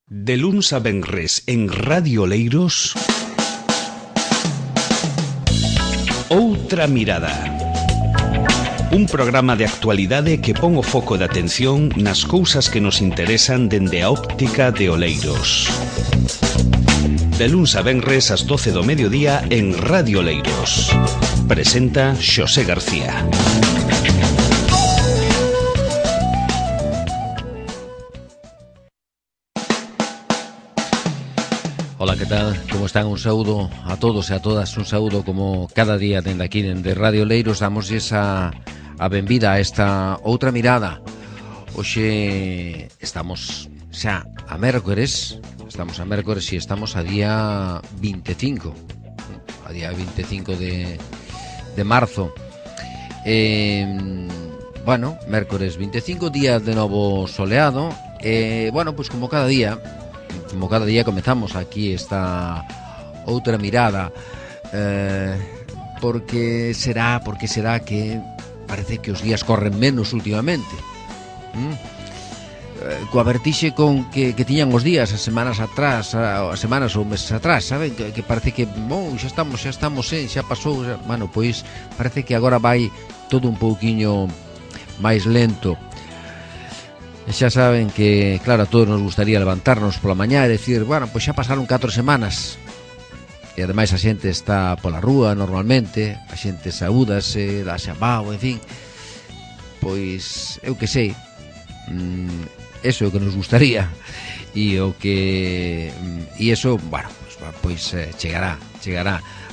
De luns a venres en Radio Oleiros, Outra Mirada. Un programa de actualidade que pon o foco de atención nas cousas que nos interesan dende a óptica de Oleiros. De luns a venres ás 12 do mediodía en Radio Oleiros. Presenta Xosé García. Ola, que tal? Como están? Un saúdo a todos e a todas, un saúdo como cada día dende aquí, dende Radio Oleiros. Damosles a benvida a esta outra mirada. Hoxe estamos xa a mércores, e estamos a día 25, a día 25 de marzo. Bueno, mércores 25, día de novo soleado. Bueno, pues como cada día comezamos aquí esta outra mirada. Porque será que parece que os días corren menos últimamente. Coa vertixe con que tiñan os días as semanas ou meses atrás, saben? Que parece que xa estamos, xa pasou, bueno, pois parece que agora vai todo un pouquiño máis lento. Xa saben que, claro, a todos nos gustaría levantarnos pola mañá e decir, bueno, pois xa pasaron 4 semanas. E ademais a xente está pola rúa normalmente, a xente saúdase, dá xabao, en fin. Pois, eu que sei, eso é o que nos gustaría. E eso, bueno, pois chegará.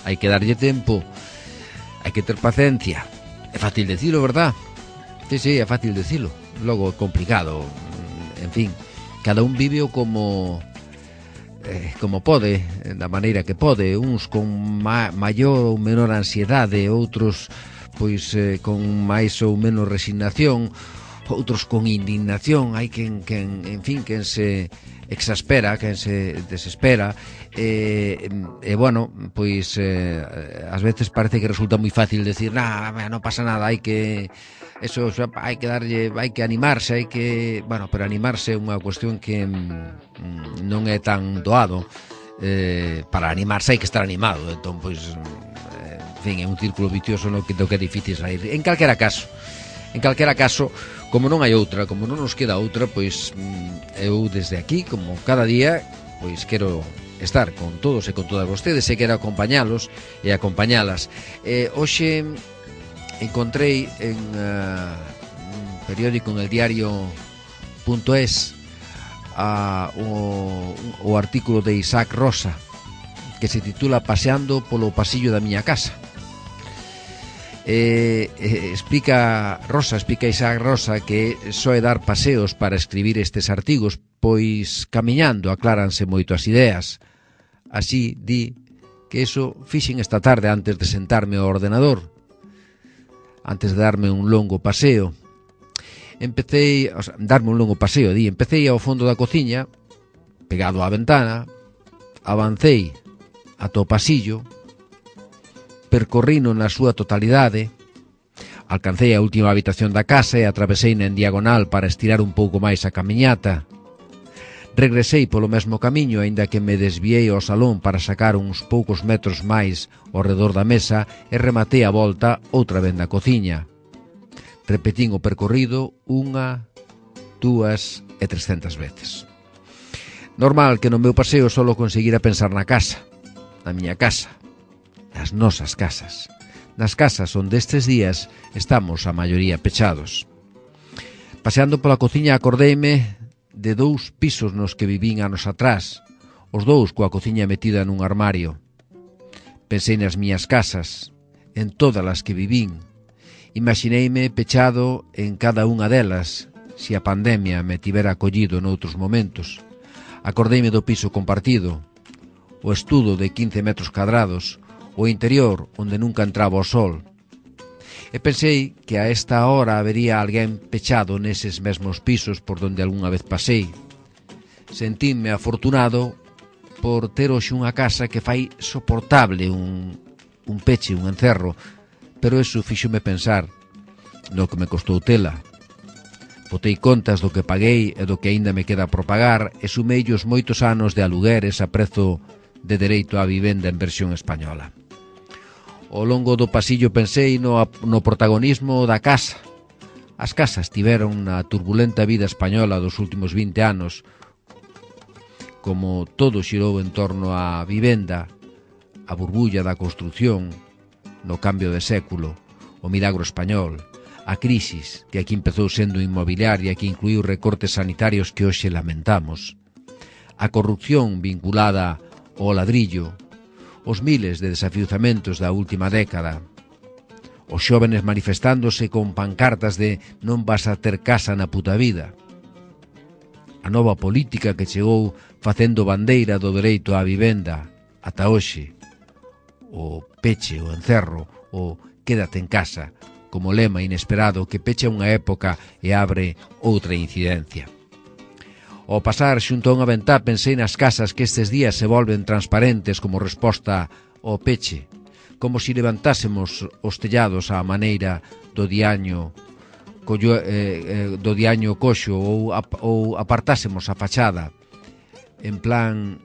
Hai que darlle tempo, hai que ter paciencia. É fácil decilo, verdad? Sí, é fácil decilo. Logo é complicado. En fin, cada un vive como pode, da maneira que pode. Uns con maior ou menor ansiedade, outros pois con máis ou menos resignación, outros con indignación. Hai quen se exaspera, quen se desespera. Bueno, pois ás veces parece que resulta moi fácil decir, non pasa nada, hai que animarse, bueno, pero animarse é unha cuestión que non é tan doado. Para animarse hai que estar animado, entón, pois, en fin, é un círculo vicioso do que é difícil sair. En calquera caso, como non hai outra, como non nos queda outra, pois eu desde aquí, como cada día, pois quero estar con todos e con todas vostedes, e quero acompañalos e acompañalas. Hoxe encontrei en un periódico, en el diario.es, o artículo de Isaac Rosa, que se titula Paseando polo pasillo da miña casa. Explica Isaac Rosa que só é dar paseos para escribir estes artigos, pois camiñando acláranse moito as ideas. Así di que eso fixen esta tarde antes de sentarme ao ordenador, antes de darme un longo paseo. Empecei ao fondo da cociña, pegado á ventana, avancei ata o pasillo, percorrino na súa totalidade, alcancei a última habitación da casa e atraveseina en diagonal para estirar un pouco máis a camiñata. Regresei polo mesmo camiño, aínda que me desviei ao salón para sacar uns poucos metros máis ao redor da mesa e rematei a volta outra vez na cociña. Repetín o percorrido 1, 2 e 300 veces. Normal que no meu paseo solo conseguira pensar na casa, na miña casa, nas nosas casas, nas casas onde estes días estamos a maioría pechados. Paseando pola cociña acordeime de 2 pisos nos que vivín anos atrás, os 2 coa cociña metida nun armario. Pensei nas miñas casas, en todas as que vivín. Imaxineime pechado en cada unha delas, se a pandemia me tivera acollido noutros momentos. Acordeime do piso compartido, o estudo de 15 metros cadrados, o interior onde nunca entraba o sol. E pensei que a esta hora habería alguén pechado neses mesmos pisos por donde algunha vez pasei. Sentínme afortunado por ter hoxe unha casa que fai soportable un peche, un encerro, pero eso fíxome pensar no que me costou tela. Botei contas do que paguei e do que aínda me queda por pagar e sumei os moitos anos de alugueres a prezo de dereito á vivenda en versión española. Ao longo do pasillo pensei no protagonismo da casa. As casas tiveron na turbulenta vida española dos últimos 20 anos, como todo xirou en torno á vivenda, a burbulla da construción, no cambio de século, o milagro español, a crisis que aquí empezou sendo inmobiliaria que incluiu recortes sanitarios que hoxe lamentamos, a corrupción vinculada ao ladrillo, os miles de desafiuzamentos da última década, os xóvenes manifestándose con pancartas de non vas a ter casa na puta vida, a nova política que chegou facendo bandeira do dereito á vivenda ata hoxe, o peche, o encerro, o quédate en casa, como lema inesperado que pecha unha época e abre outra incidencia. Ao pasar xunto a unha ventá pensei nas casas que estes días se volven transparentes como resposta ao peche, como si levantásemos os tellados á maneira do diaño coxo ou apartásemos a fachada en plan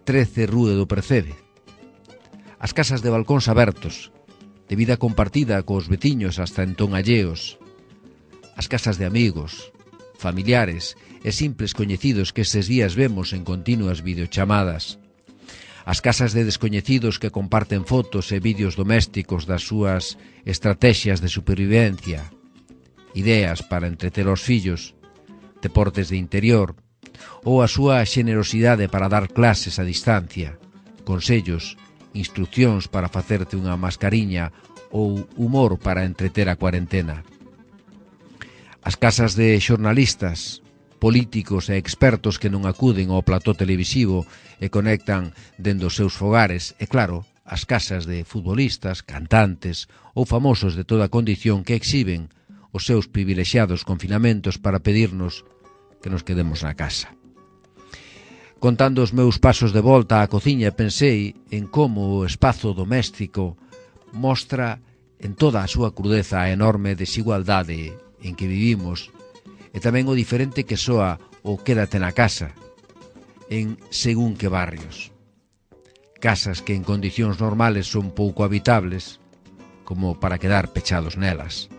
13 Rúe do Percebe. As casas de balcóns abertos, de vida compartida cos veciños hasta entón alleos, as casas de amigos, familiares e simples coñecidos que estes días vemos en continuas videochamadas, as casas de descoñecidos que comparten fotos e vídeos domésticos das súas estrategias de supervivencia, ideas para entreter aos fillos, deportes de interior, ou a súa xenerosidade para dar clases a distancia, consellos, instruccións para facerte unha mascariña ou humor para entreter a cuarentena. As casas de xornalistas, políticos e expertos que non acuden ao plató televisivo e conectan dende os seus fogares, e claro, as casas de futbolistas, cantantes ou famosos de toda condición que exhiben os seus privilexiados confinamentos para pedirnos que nos quedemos na casa. Contando os meus pasos de volta á cociña pensei en como o espazo doméstico mostra en toda a súa crudeza a enorme desigualdade en que vivimos e tamén o diferente que soa o quédate na casa en según que barrios. Casas que en condicións normales son pouco habitables como para quedar pechados nelas.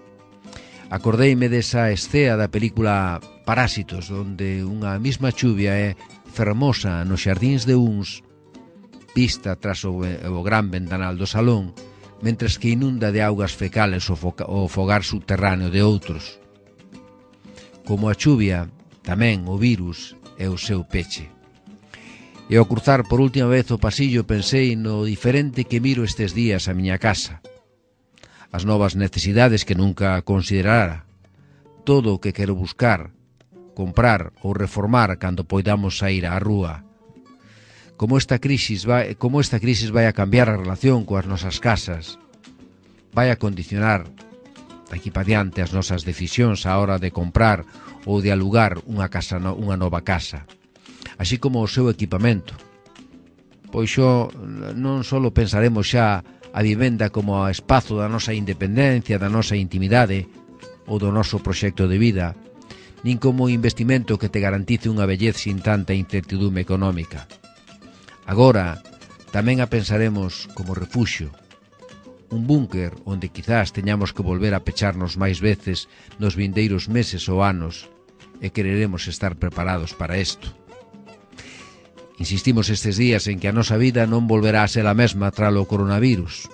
Acordeime desa escena da película Parásitos, onde unha mesma chuvia é fermosa nos xardíns de uns, vista tras o gran ventanal do salón, mentres que inunda de augas fecales o fogar subterráneo de outros. Como a chuvia, tamén o virus é o seu peche. E ao cruzar por última vez o pasillo pensei no diferente que miro estes días a miña casa, as novas necesidades que nunca considerara, todo o que quero buscar, comprar ou reformar cando poidamos sair á rúa. Como esta crisis vai a cambiar a relación coas nosas casas, vai a condicionar daqui para diante as nosas decisións á hora de comprar ou de alugar unha nova casa, así como o seu equipamento. Pois xo non só pensaremos xa a vivenda como a espazo da nosa independencia, da nosa intimidade ou do noso proxecto de vida, nin como investimento que te garantice unha vellez sin tanta incertidume económica. Agora, tamén a pensaremos como refuxio, un búnker onde quizás teñamos que volver a pecharnos máis veces nos vindeiros meses ou anos e quereremos estar preparados para isto. Insistimos estes días en que a nosa vida non volverá a ser a mesma tralo coronavirus,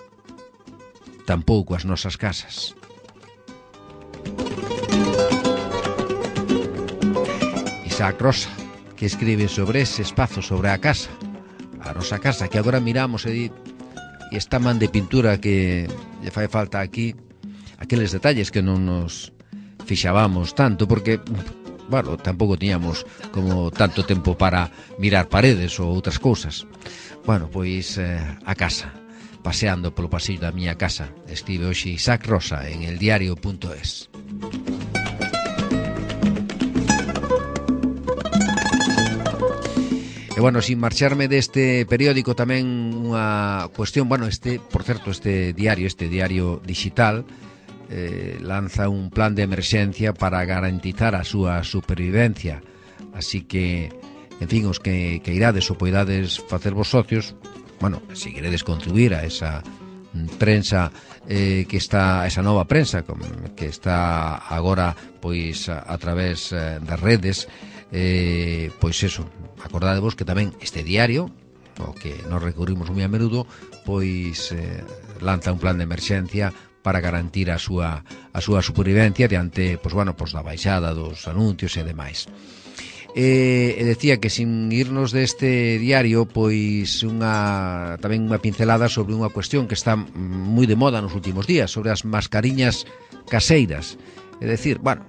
tampouco as nosas casas. Isaac Rosa, que escribe sobre ese espazo, sobre a casa, a nosa casa, que agora miramos e esta man de pintura que lle fai falta aquí, aqueles detalles que non nos fixábamos tanto, porque, bueno, tampouco tiñamos como tanto tempo para mirar paredes ou outras cousas. Bueno, pois a casa, paseando polo pasillo da miña casa, escribe hoxe Isaac Rosa en eldiario.es. E, bueno, sin marcharme deste periódico tamén unha cuestión, bueno, por certo, este diario digital, lanza un plan de emerxencia para garantizar a súa supervivencia. Así que, en fin, os que irades ou poidades facer vos socios, bueno, se queredes contribuir a esa prensa que está, esa nova prensa que está agora pois a través das redes, pois eso, acordadevos que tamén este diario, o que nos recurrimos moi a menudo, pois lanza un plan de emerxencia para garantir a súa supervivencia diante, pois bueno, pois da baixada dos anuncios e demais. E decía que sin irnos deste diario, pois tamén unha pincelada sobre unha cuestión que está moi de moda nos últimos días, sobre as mascariñas caseiras. É dicir, bueno,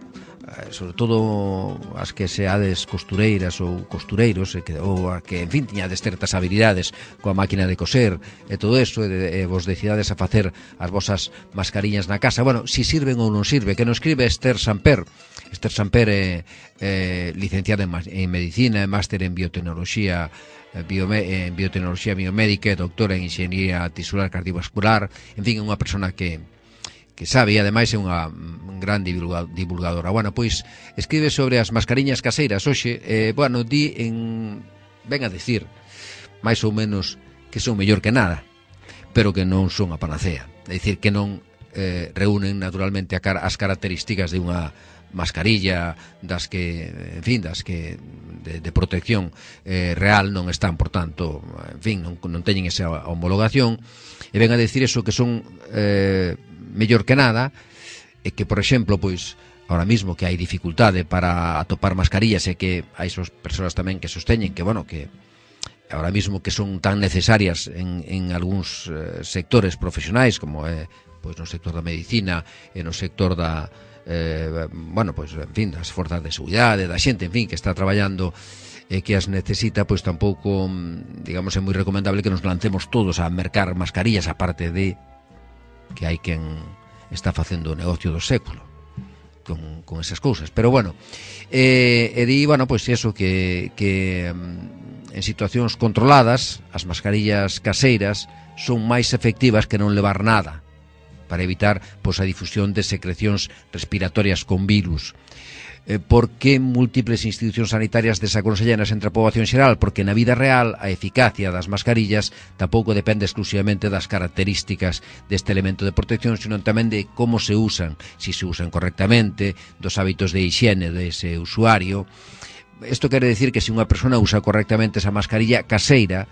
sobre todo as que seades costureiras ou costureiros, ou a que, en fin, tiñades certas habilidades coa máquina de coser e todo eso, e vos decidades a facer as vosas mascariñas na casa. Bueno, si sirven ou non sirve, que nos escribe Esther Samper. Esther Samper é licenciada en Medicina, máster en Biotecnoloxía Biomédica e doctora en Inxeniería Tisular Cardiovascular. En fin, é unha persona que sabe, e ademais é unha gran divulgadora. Bueno, pois escribe sobre as mascariñas caseiras hoxe, bueno, ven a decir máis ou menos que son mellor que nada, pero que non son a panacea. É dicir, que non reúnen naturalmente as características de unha mascarilla das que, en fin, de protección real non están, por tanto, en fin, non teñen esa homologación, e ven a decir eso, que son mellor que nada, e que, por exemplo, pois ahora mismo que hai dificultade para atopar mascarillas, e que hai persoas tamén que sosteñen que, bueno, que ahora mismo que son tan necesarias en algúns sectores profesionais, como pois no sector da medicina e no sector da bueno, pois, en fin, das forzas de seguridade, da xente, en fin, que está traballando e que as necesita, pois tampouco, digamos, é moi recomendable que nos lancemos todos a mercar mascarillas, aparte de que hai quen está facendo o negocio do século con esas cousas. Pero bueno, di, bueno, pois eso, que en situacións controladas as mascarillas caseiras son máis efectivas que non levar nada, para evitar, pois, a difusión de secrecións respiratorias con virus. Por que múltiples institucións sanitarias desaconsellan entre a poboación xeral? Porque na vida real a eficacia das mascarillas tampouco depende exclusivamente das características deste elemento de protección, sino tamén de como se usan, si se usan correctamente, dos hábitos de higiene dese usuario. Isto quere decir que se unha persona usa correctamente esa mascarilla caseira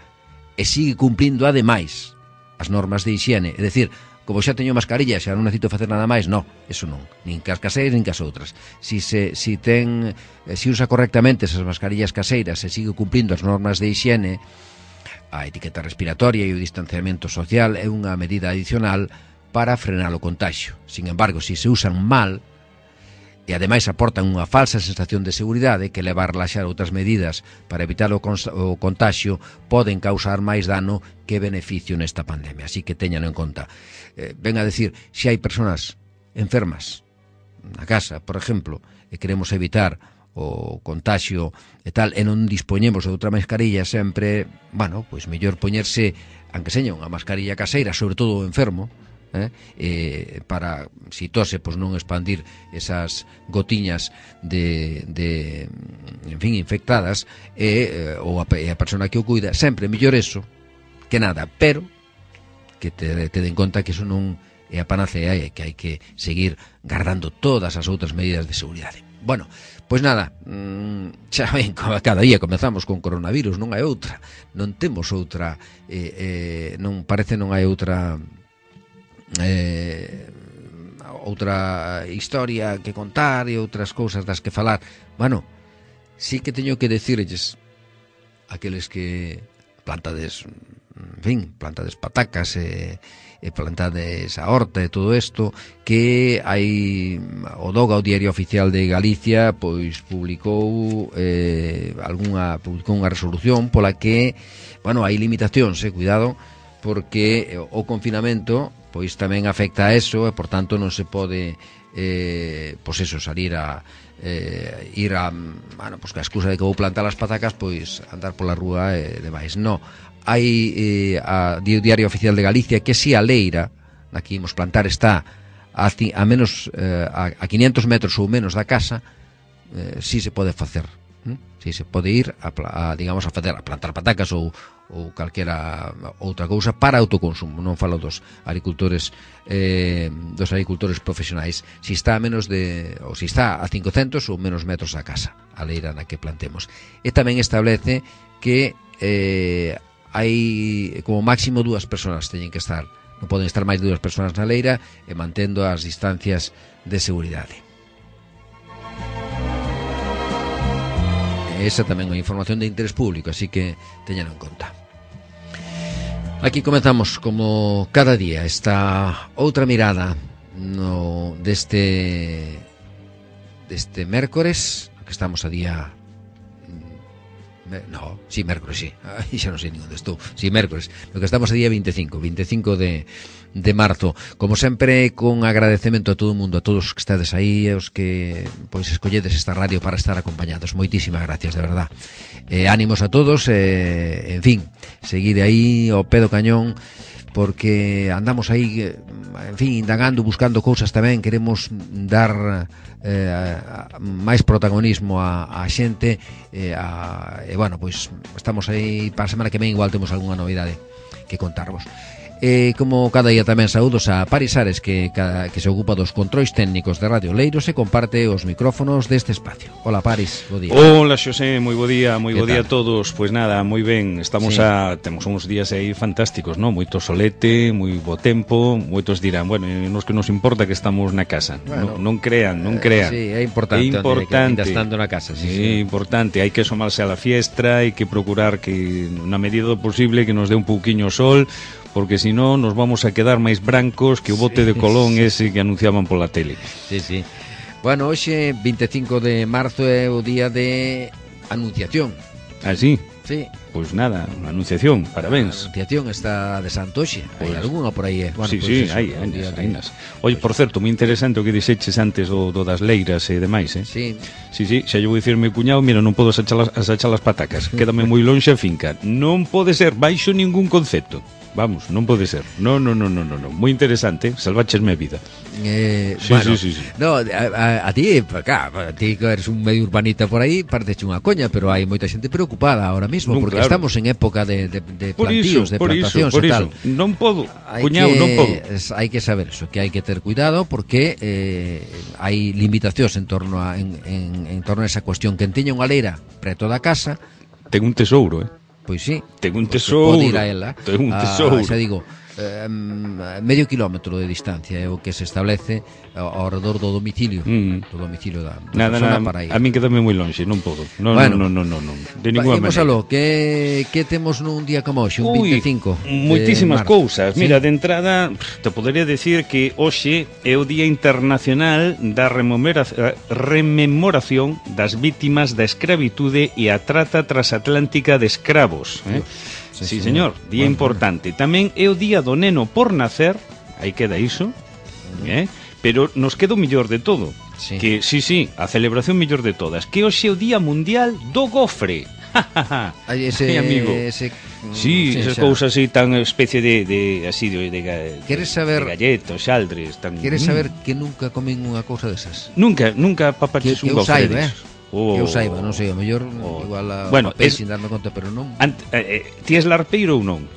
e sigue cumplindo ademais as normas de higiene, é dicir, como xa teño mascarilla, xa non necesito facer nada máis, non, eso non, nin cas caseiras nin cas outras. Si usa correctamente esas mascarillas caseiras e sigue cumplindo as normas de higiene, a etiqueta respiratoria e o distanciamento social é unha medida adicional para frenar o contagio. Sin embargo, si se usan mal e ademais aportan unha falsa sensación de seguridade, que leva a relaxar outras medidas para evitar o contagio, poden causar máis dano que beneficio nesta pandemia. Así que teñano en conta. Ven a decir, se hai persoas enfermas na casa, por exemplo, e queremos evitar o contagio e tal, e non dispoñemos de outra mascarilla, sempre, bueno, pois mellor poñerse, aunque seña unha mascarilla caseira, sobre todo o enfermo, para, si tose, pois non expandir esas gotiñas de en fin, infectadas, ou a persona que o cuida, sempre mellor eso que nada, pero que te den conta que eso non é a panacea e que hai que seguir guardando todas as outras medidas de seguridade. Bueno, pois nada, xa ven, cada día comezamos con coronavirus, non hai outra, non temos outra, non parece, non hai outra historia que contar e outras cousas das que falar. Bueno, sí que teño que decirlles aqueles que plantades, en fin, plantades patacas e plantades a horta e todo isto, que hai o DOGA, o Diario Oficial de Galicia, pois publicou unha resolución pola que, bueno, hai limitacións, cuidado, porque o confinamento pois tamén afecta a eso, e por tanto non se pode pois eso, salir a ir a, bueno, pois que a excusa de que vou plantar as patacas, pois andar pola rúa e demais. No, hai o Diario Oficial de Galicia que si a leira na que imos plantar está a menos a 500 metros ou menos da casa, si se pode facer. Si se pode ir digamos a plantar patacas ou calquera outra cousa para autoconsumo. Non falo dos agricultores profesionais. Si está a menos ou si está a 500 ou menos metros da casa, a leira na que plantemos. E tamén establece que hai como máximo 2 persoas teñen que estar, non poden estar máis de 2 persoas na leira, e mantendo as distancias de seguridade. Esa tamén é unha información de interés público, así que teñan en conta. Aquí comenzamos como cada día esta outra mirada deste mércores, que estamos a día mércores, xa non sei nin onde estou. Mércores, no que estamos a día 25 de marzo. Como sempre, con agradecemento a todo o mundo, a todos os que estades aí, os que pois escolledes esta radio para estar acompañados. Moitísimas gracias, de verdad. Ánimos a todos, en fin, seguide aí ao pé do cañón, porque andamos aí, en fin, indagando, buscando cousas tamén. Queremos dar máis protagonismo a xente, e bueno, pois estamos aí para a semana que ven, igual temos algunha novidade que contarvos. Como cada día tamén saúdos a Paris Ares, que se ocupa dos controis técnicos de Radio Oleiros e comparte os micrófonos deste espacio. Hola Paris, bo día. Hola Xosé, moi bo día a todos. Pois nada, moi ben, estamos temos uns días aí fantásticos, ¿no? Moito solete, moi bo tempo. Moitos dirán, bueno, nos que nos importa que estamos na casa. Bueno, non crean. Sí, é importante. Que estando na casa, sí. Importante, hai que asomarse a la fiestra, hai que procurar que na medida do posible que nos dé un pouquiño sol, porque si non nos vamos a quedar máis brancos que o bote de Colón ese que anunciaban pola tele. Sí. Bueno, hoxe 25 de marzo é o día de Anunciación. Ah, sí? Sí. Pois nada, a Anunciación, parabéns. A Anunciación está de Santoxe. Hai algunha por aí, Bueno, sí, pues hai ainas. Oye, por certo, moi interesante o que dixeches antes do das leiras e demais, Sí, xa lle vou dicir meu cuñado, mira, non podo asachar as patacas, quédame moi lonxe a finca. Non pode ser baixo ningún concepto. Vamos, non pode ser. No. Moi interesante, salváchesme a vida. Sí. No, a ti, a ti que eres un medio urbanita por aí, parece unha coña, pero hai moita xente preocupada ahora mismo, porque claro, estamos en época de plantíos, de plantacións e tal. Non podo, cuñado, non podo. Hai que saber eso, que hai que ter cuidado, porque hai limitacións en torno a esa cuestión. Quen teña unha leira preto da casa ten un tesouro, Pois sí. Ten un tesouro. Pode ir a ela. Ten un tesouro. Xa digo, medio kilómetro de distancia é o que se establece ao redor do domicilio do domicilio da persona para ir. A min quedame moi lonxe, non podo. Non. De ninguna maneira. Aló, que temos nun día como hoxe, un 25? Moitísimas cousas. ¿Sí? Mira, de entrada, te podería decir que hoxe é o Día Internacional da Rememoración das vítimas da escravitude e a trata transatlántica de escravos, Sí, señor, día importante. Tamén é o día do neno por nacer, aí queda iso, pero nos queda o mellor de todo, que, a celebración mellor de todas, que hoxe é o Día Mundial do Gofre. Ese amigo. Esas cousas así tan especie de Queres saber de galletos, xaldres, tan. Queres saber que nunca comen unha cousa desas? Nunca papaches un gofre desos. Que eu saiba, non sei, o mellor igual a papel sin darme conta, pero non. Ti es larpeiro ou non?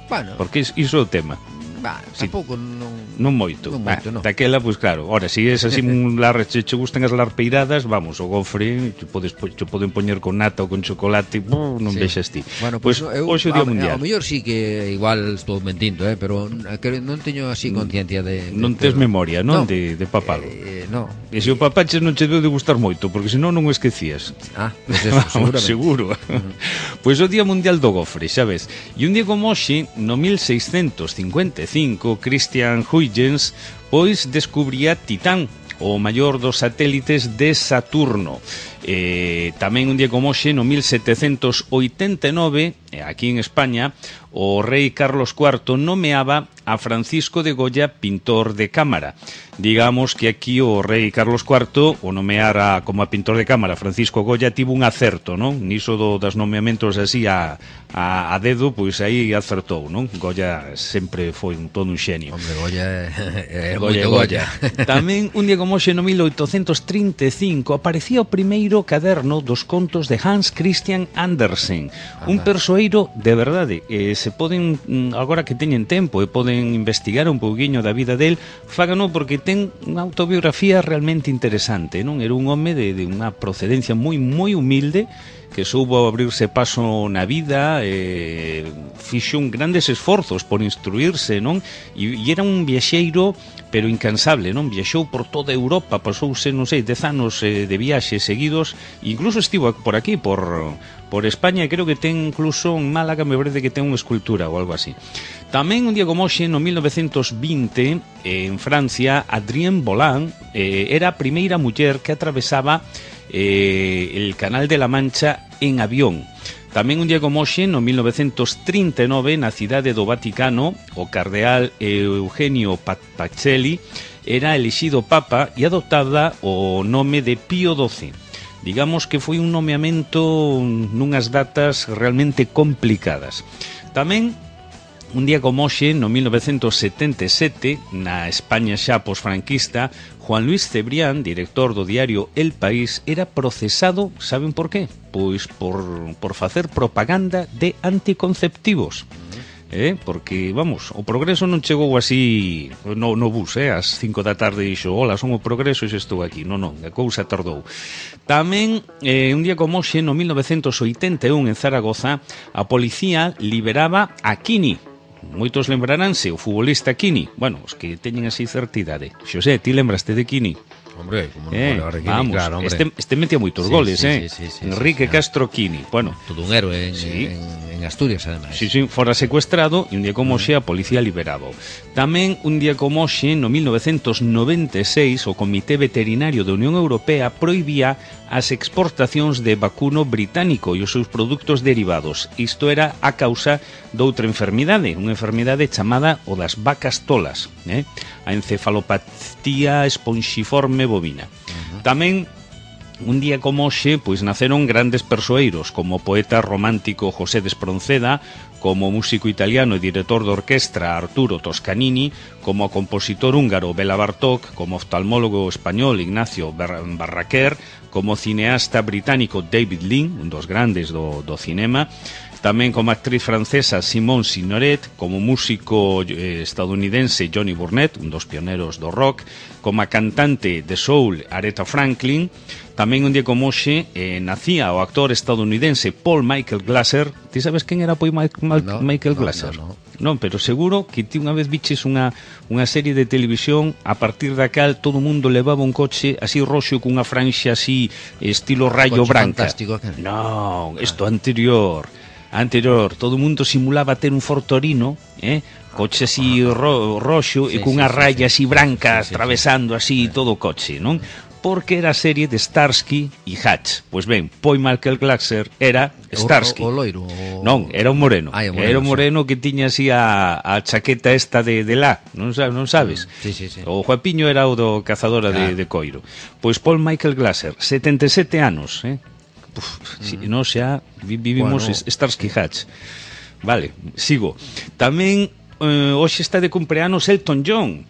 Bueno, porque iso é o tema. Tampouco non moito. Daquela, pois claro, ora, se es así che gustan as larpeiradas, vamos, o gofre che poden poñer con nata ou con chocolate, non vexas ti. Bueno, pois hoxe o Día Mundial. O mellor sí que igual estou mentindo, pero non teño así conciencia de non tes memoria, non, de papalo. No. E se o papaches non che deu de gustar moito, porque senón non o esquecías. Pois eso, seguro. Pois o Día Mundial do Gofre, xa ves. E un día como hoxe, no 1655, Christian Huygens pois descubría Titán, o maior dos satélites de Saturno. Tamén un día como hoxe, no 1789, aquí en España, o rei Carlos IV nomeaba a Francisco de Goya pintor de cámara. Digamos que aquí o rei Carlos IV o nomeara como a pintor de cámara Francisco Goya tivo un acerto, non? Niso das nomeamentos así a dedo, pois aí acertou, non? Goya sempre foi todo un xenio. Hombre, Goya é Goya, Goya. Tamén un día como hoxe no 1835 aparecía o primeiro caderno dos contos de Hans Christian Andersen, un persoeiro de verdade. Se poden, agora que teñen tempo e poden investigar un pouquiño da vida del, fágano porque ten unha autobiografía realmente interesante, non? Era un home de unha procedencia moi humilde, que soubo abrirse paso na vida, fixo grandes esforzos por instruirse, non? E era un viaxeiro pero incansable, non? Viaxou por toda Europa, pasouse, non sei, 10 anos de viaxes seguidos, incluso estivo por aquí, por España, e creo que ten incluso en Málaga, me parece que ten unha escultura ou algo así. Tamén un día como hoxe, no 1920, en Francia, Adrienne Boland era a primeira muller que atravesaba el Canal de la Mancha en avión. Tamén un día como hoxe, no 1939, na cidade do Vaticano, o cardeal Eugenio Pacelli era elixido papa e adoptaba o nome de Pío XII. Digamos que foi un nomeamento nunhas datas realmente complicadas. Tamén un día como hoxe, no 1977, na España xa posfranquista, Juan Luis Cebrián, director do diario El País, era procesado, saben por qué? Pois por facer propaganda de anticonceptivos. Porque, vamos, o progreso non chegou así no bus, ás 5 da tarde e dixo, hola, son o progreso e xa estou aquí. Non, a cousa tardou. Tamén, un día como hoxe, no 1981, en Zaragoza, a policía liberaba a Quini. Moitos lembraránse, o futbolista Quini. Bueno, os que teñen así certa idade. Xosé, ti lembraste de Quini? Hombre, como non levar de Quini, vamos, claro, hombre. Este metía moitos goles, sí, Enrique Castro Quini. Bueno, todo un héroe en Asturias, ademais. Sí, fora secuestrado e un día como hoxe a policía liberaba. Tamén un día como hoxe, no 1996, o Comité Veterinario da Unión Europea prohibía as exportacións de vacuno británico e os seus produtos derivados. Isto era a causa doutra enfermidade, unha enfermidade chamada o das vacas tolas, a encefalopatía esponxiforme bovina. Tamén un día como hoxe, pois naceron grandes persoeiros, como o poeta romántico José de Espronceda, como o músico italiano e director de orquestra Arturo Toscanini, como o compositor húngaro Bela Bartók, como o oftalmólogo español Ignacio Barraquer, como o cineasta británico David Lean, un dos grandes do cinema, tamén como actriz francesa Simone Signoret, como músico estadounidense Johnny Burnett, un dos pioneros do rock, como a cantante de soul Aretha Franklin. Tamén un día como hoxe nacía o actor estadounidense Paul Michael Glaser. Ti sabes quen era Paul Michael Glaser? Non, pero seguro que ti unha vez viches unha serie de televisión a partir da cal todo o mundo levaba un coche así roxo cunha franxa así estilo rayo branca. Non, isto anterior, todo o mundo simulaba ter un Ford Torino, coche así roxo e cunha raya así branca atravesando así todo o coche, non? Porque era a serie de Starsky e Hutch. Pois ben, Paul Michael Glaser era Starsky. O loiro? Non, era un moreno. Era un moreno que tiña así a chaqueta esta de la, non sabes? Sí. O Juapiño era o do cazadora de coiro. Pois Paul Michael Glaser, 77 anos, non xa vivimos Starsky e Hutch. Vale, sigo. Tamén hoxe está de cumpleanos Elton John.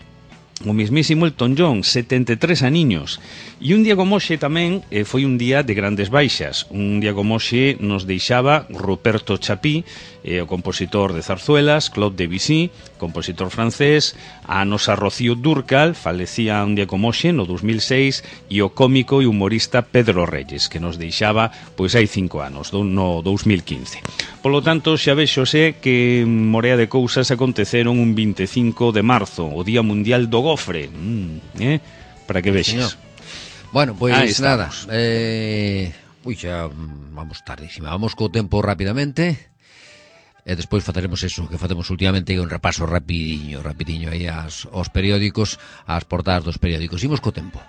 O mismísimo Elton John, 73 aniños. E un día como hoxe tamén foi un día de grandes baixas. Un día como hoxe nos deixaba Ruperto Chapí, o compositor de zarzuelas, Claude Debussy, compositor francés, a nosa Rocío Dúrcal, falecía un día como hoxe, no 2006, e o cómico e humorista Pedro Reyes, que nos deixaba pois hai 5 anos, no 2015. Polo tanto, xa vexose que morea de cousas aconteceron un 25 de marzo, o Día Mundial do Gofre, para que vexes. Bueno, pois nada, xa vamos tardísima, vamos co tempo rapidamente. E despois faceremos eso que facemos últimamente, un repaso rapidiño aí aos periódicos, ás portadas dos periódicos. Imos co tempo.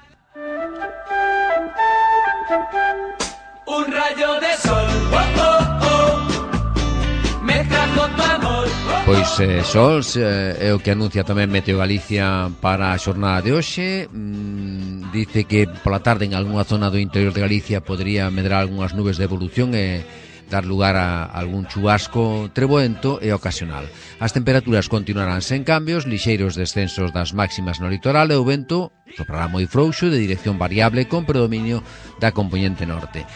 Pois sols é o que anuncia tamén Meteo Galicia para a xornada de hoxe. Dice que pola tarde en algunha zona do interior de Galicia podría medrar algunhas nubes de evolución e dar lugar a algún chubasco treboento e ocasional. As temperaturas continuarán sen cambios, lixeiros descensos das máximas no litoral e o vento soprará moi frouxo de dirección variable con predominio da compoñente norte.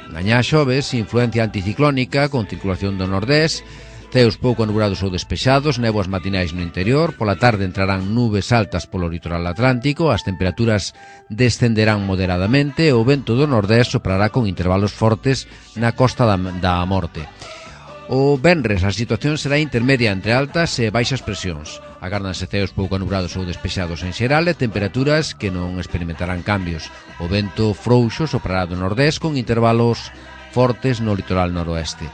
Mañá xoves, influencia anticiclónica con circulación do nordés, ceos pouco nublados ou despexados, néboas matinais no interior, pola tarde entrarán nubes altas polo litoral atlántico, as temperaturas descenderán moderadamente e o vento do nordés soprará con intervalos fortes na costa da Morte. O venres a situación será intermedia entre altas e baixas presións. Agárdanse ceos pouco nublados ou despexados en xeral e temperaturas que non experimentarán cambios. O vento frouxo soprará do nordés con intervalos fortes no litoral noroeste.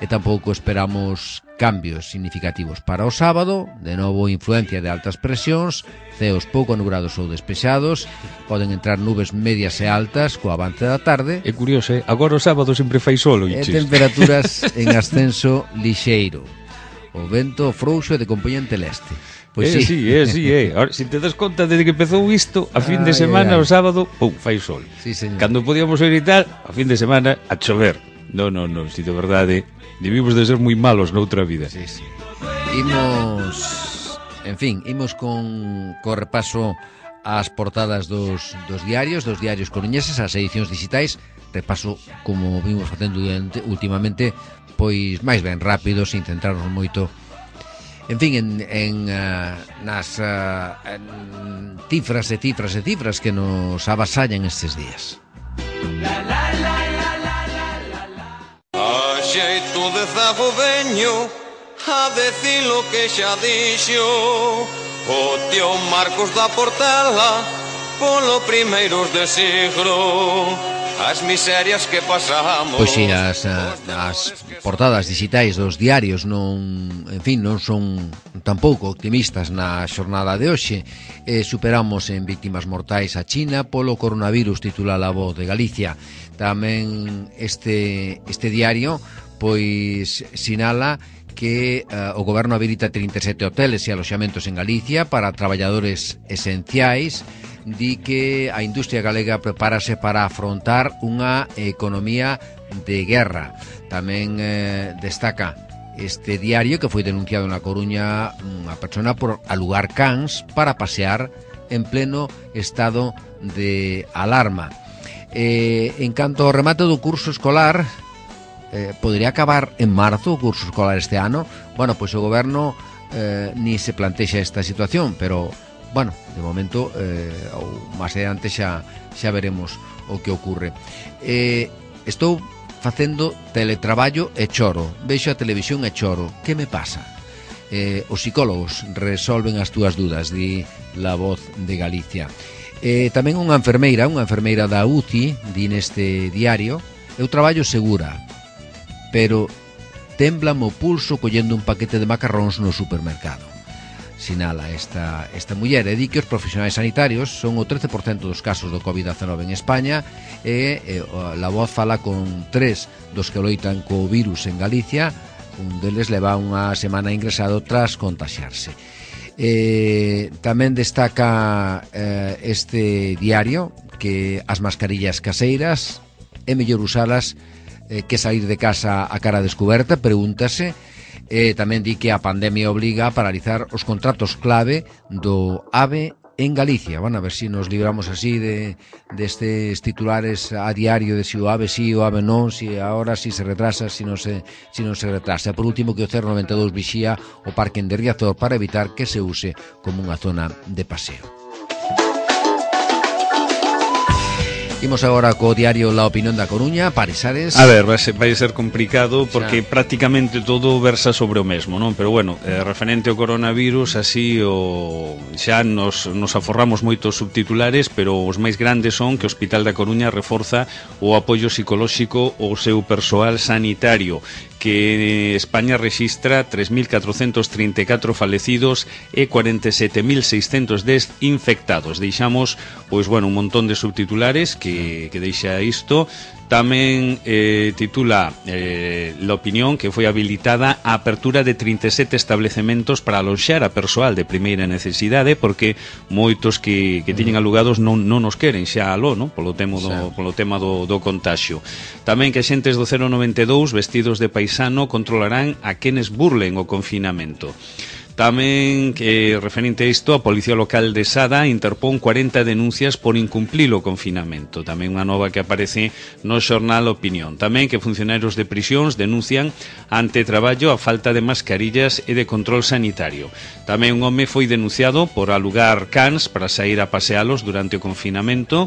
E tampouco esperamos cambios significativos para o sábado, de novo influencia de altas presións, ceos pouco nublados ou despexados, poden entrar nubes medias e altas co avance da tarde. É curioso, agora o sábado sempre fai solo, e temperaturas en ascenso lixeiro. O vento frouxo e de compoñente leste. Pois sí. Ahora, se te das conta desde que empezou isto, a fin de semana, o sábado, pum, fai sol. Sí, señor. Cando podíamos ir e tal, a fin de semana, a chover. No, si de verdade, debimos de ser moi malos noutra vida. Sí. Imos con repaso ás portadas dos diarios coruñeses, as edicións digitais, repaso como vimos facendo últimamente, pois máis ben rápido, sin centrarnos moito nas cifras que nos avasallan estes días. A xeito de zago veño a decir lo que xa dixo o tío Marcos da Portela polo primeiros de siglo. As miserias que pasamos. Pois si, as portadas digitais dos diarios non son tampouco optimistas na xornada de hoxe. Superamos en víctimas mortais a China polo coronavirus, titula La Voz de Galicia. Tamén este diario pois sinala que o goberno habilita 37 hoteles e aloxamentos en Galicia para traballadores esenciais. Di que a industria galega prepárase para afrontar unha economía de guerra. Tamén destaca este diario que foi denunciado na Coruña unha persona por alugar cans para pasear en pleno estado de alarma. En canto ao remate do curso escolar, podría acabar en marzo o curso escolar este ano. Bueno, pois o goberno ni se plantexa esta situación, pero bueno, de momento ou máis adiante xa veremos o que ocurre. Estou facendo teletraballo e choro, vexo a televisión e choro. Que me pasa? Os psicólogos resolven as túas dudas, di La Voz de Galicia. Tamén unha enfermeira da UCI, di neste diario: eu traballo segura, pero témblame o pulso collendo un paquete de macarróns no supermercado. Sinala esta muller, e di que os profesionais sanitarios son o 13% dos casos do COVID-19 en España e La Voz fala con 3 dos que loitan co virus en Galicia. Un deles leva unha semana ingresado tras contaxiarse. Tamén destaca este diario que as mascarillas caseiras é mellor usalas que sair de casa a cara descoberta, pregúntase. Tamén di que a pandemia obliga a paralizar os contratos clave do AVE en Galicia. Bueno, a ver si nos libramos así destes titulares a diario de si o AVE sí, o AVE non, si ahora si se retrasa, si non se retrasa. Por último, que o CER92 vixía o parque de Riazor para evitar que se use como unha zona de paseo. Imos agora co diario La Opinión da Coruña, Paresares. A ver, vai ser complicado porque prácticamente todo versa sobre o mesmo, non? Pero bueno, referente ao coronavirus, así xa nos aforramos moitos subtitulares, pero os máis grandes son que o Hospital da Coruña reforza o apoio psicolóxico ao seu persoal sanitario, que España rexistra 3.434 falecidos e 47.610 infectados. Deixamos, pois bueno, un montón de subtitulares que deixa isto. Tamén titula la opinión que foi habilitada a apertura de 37 establecementos para aloxar a persoal de primeira necesidade, porque moitos que tiñen alugados non nos queren xa aló, non? Polo tema do contagio. Tamén que xentes do 092 vestidos de paisano controlarán a quenes burlen o confinamento. Tamén, referente a isto, a Policía Local de Sada interpón 40 denuncias por incumplir o confinamento. Tamén unha nova que aparece no xornal Opinión. Tamén que funcionarios de prisións denuncian ante traballo a falta de mascarillas e de control sanitario. Tamén un home foi denunciado por alugar cans para sair a pasealos durante o confinamento.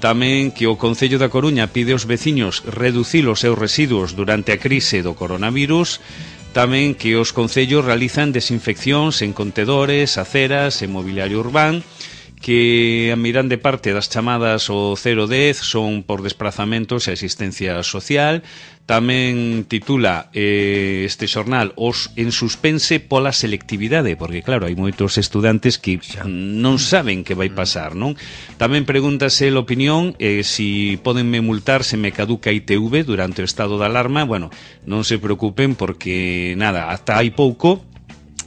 Tamén que o Concello da Coruña pide aos veciños reducir os seus residuos durante a crise do coronavirus. Tamén que os concellos realizan desinfeccións en contedores, aceras e mobiliario urbán, que a mirande parte das chamadas ao 010 son por desplazamentos e asistencia social. Tamén titula este xornal os en suspense pola selectividade, porque claro, hai moitos estudantes que non saben que vai pasar, non? Tamén pregúntase a opinión si podenme multar se me caduca ITV durante o estado de alarma. Bueno, non se preocupen porque nada, hasta hai pouco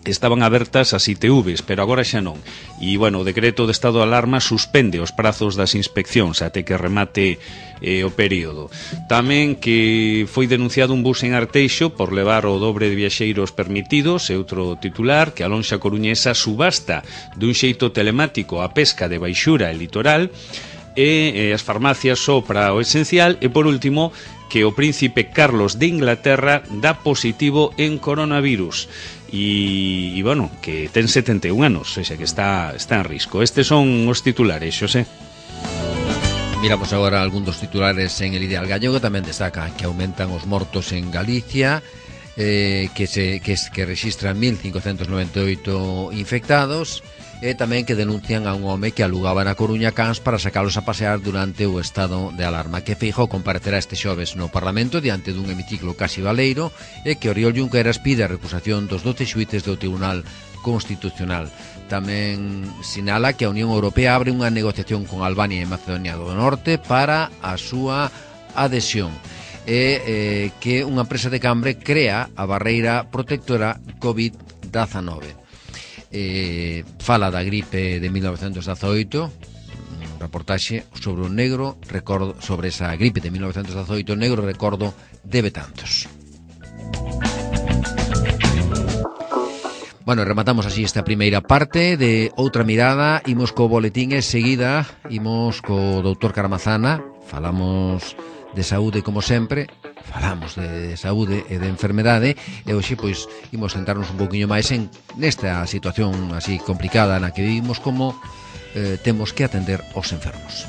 estaban abertas as ITVs, pero agora xa non. E, bueno, o decreto de estado de alarma suspende os prazos das inspeccións até que remate o período. Tamén que foi denunciado un bus en Arteixo por levar o dobre de viaxeiros permitidos, e outro titular, que a lonxa coruñesa subasta dun xeito telemático a pesca de baixura e litoral, e as farmacias só para o esencial, e por último, que o príncipe Carlos de Inglaterra dá positivo en coronavirus. E bueno, que ten 71 anos, o sea que está en risco. Estes son os titulares, Xosé. Miramos agora algún dos titulares en El Ideal Gallego. Tamén destaca que aumentan os mortos en Galicia, que registran 1.598 infectados, e tamén que denuncian a un home que alugaba na Coruña cans para sacalos a pasear durante o estado de alarma. Que Feijóo comparecerá este xoves no Parlamento diante dun hemiciclo casi baleiro, e que Oriol Junqueras pide a recusación dos 12 xuíces do Tribunal Constitucional. Tamén sinala que a Unión Europea abre unha negociación con Albania e Macedonia do Norte para a súa adhesión, e que unha empresa de Cambre crea a barreira protectora COVID-19. Fala da gripe de 1918, un reportaxe sobre o negro recordo, sobre esa gripe de 1918, negro recordo de Betanzos. Bueno, rematamos así esta primeira parte de Outra Mirada. Imos co boletín e seguida imos co doutor Caramazana. Falamos de saúde como sempre, falamos de saúde e de enfermedade, e hoxe pois imos centrarnos un poquinho máis en nesta situación así complicada na que vivimos, como temos que atender aos enfermos.